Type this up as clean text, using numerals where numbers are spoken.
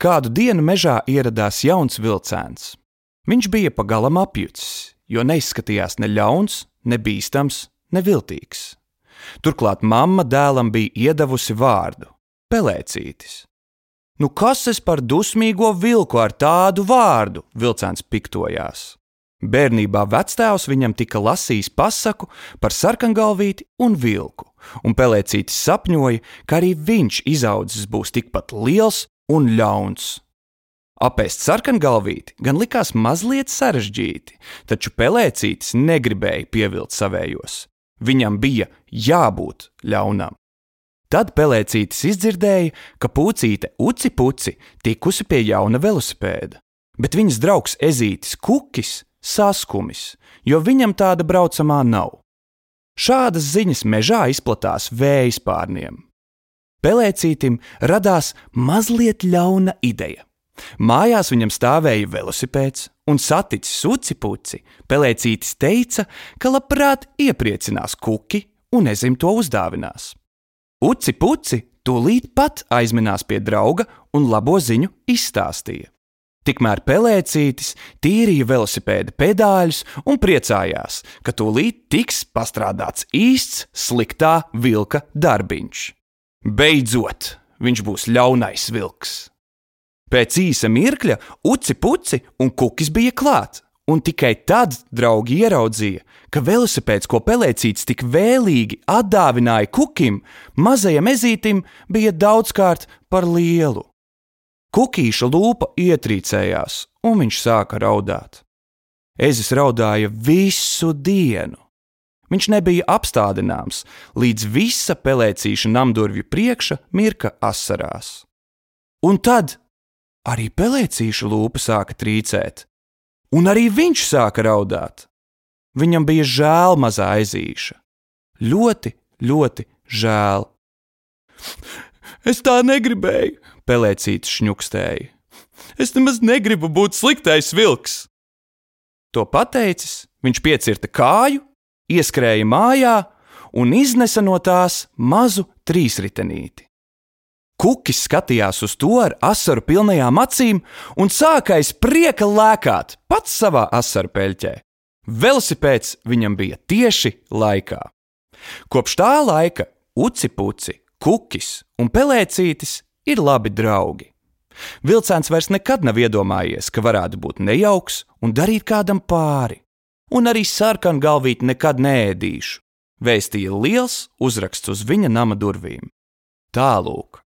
Kādu dienu mežā ieradās jauns vilcēns. Viņš bija pagalam apjucis, jo neizskatījās ne ļauns, ne bīstams, ne viltīgs. Turklāt mamma dēlam bija iedavusi vārdu – Pelēcītis. Nu kas es par dusmīgo vilku ar tādu vārdu, vilcēns piktojās. Bērnībā vectēvs viņam tika lasījis pasaku par sarkangalvīti un vilku, un Pelēcītis sapņoja, ka arī viņš izaudzis būs tikpat liels un ļauns. Apēst sarkangalvīti gan likās mazliet sarežģīti, taču Pelēcītis negribēja pievilt savējos. Viņam bija jābūt ļaunam. Tad Pelēcītis izdzirdēja, ka pucīte Uci Puci tikusi pie jauna velosipēda, bet viņas draugs ezītis Kukis saskumis, jo viņam tāda braucamā nav. Šādas ziņas mežā izplatās vējspārniem. Pelēcītim radās mazliet ļauna ideja. Mājās viņam stāvēja velosipēds, un saticis Uci Puci, Pelēcītis teica, ka labprāt iepriecinās Kuki un ezim to uzdāvinās. Uci Puci tūlīt pat aizminās pie drauga un labo ziņu izstāstīja. Tikmēr Pelēcītis tīrīja velosipēda pedāļus un priecājās, ka tūlīt tiks pastrādāts īsts sliktā vilka darbiņš. Beidzot, viņš būs ļaunais vilks. Pēc īsa mirkļa Uci Puci un Kukis bija klāt, un tikai tad draugi ieraudzīja, ka velosipēds, ko Pelēcītis tik vēlīgi atdāvināja Kukim, mazajam ezītim bija daudzkārt par lielu. Kukīša lūpa ietrīcējās, un viņš sāka raudāt. Ezis raudāja visu dienu. Viņš nebija apstādināms, līdz visa Pelēcīša namdurvju priekša mirka asarās. Un tad arī Pelēcīša lūpa sāka trīcēt, un arī viņš sāka raudāt. Viņam bija žēl mazā ezīša. Ļoti, ļoti žēl. Es tā negribēju, Pelēcītis šņukstēja. Es nemaz negribu būt sliktais vilks. To pateicis, viņš piecirta kāju, ieskrēja mājā un iznesa no tās mazu trīsritenīti. Kukis skatījās uz to ar asaru pilnajām acīm un sāka aiz prieka lēkāt pats savā asaru peļķē. Velosipēds viņam bija tieši laikā. Kopš tā laika Uci Puci, Kukis un Pelēcītis ir labi draugi. Vilcēns vairs nekad nav iedomājies, ka varētu būt nejauks un darīt kādam pāri. Un arī sarkangalvīti nekad neēdīšu, vēstīja liels uzraksts uz viņa nama durvīm. Tālūk.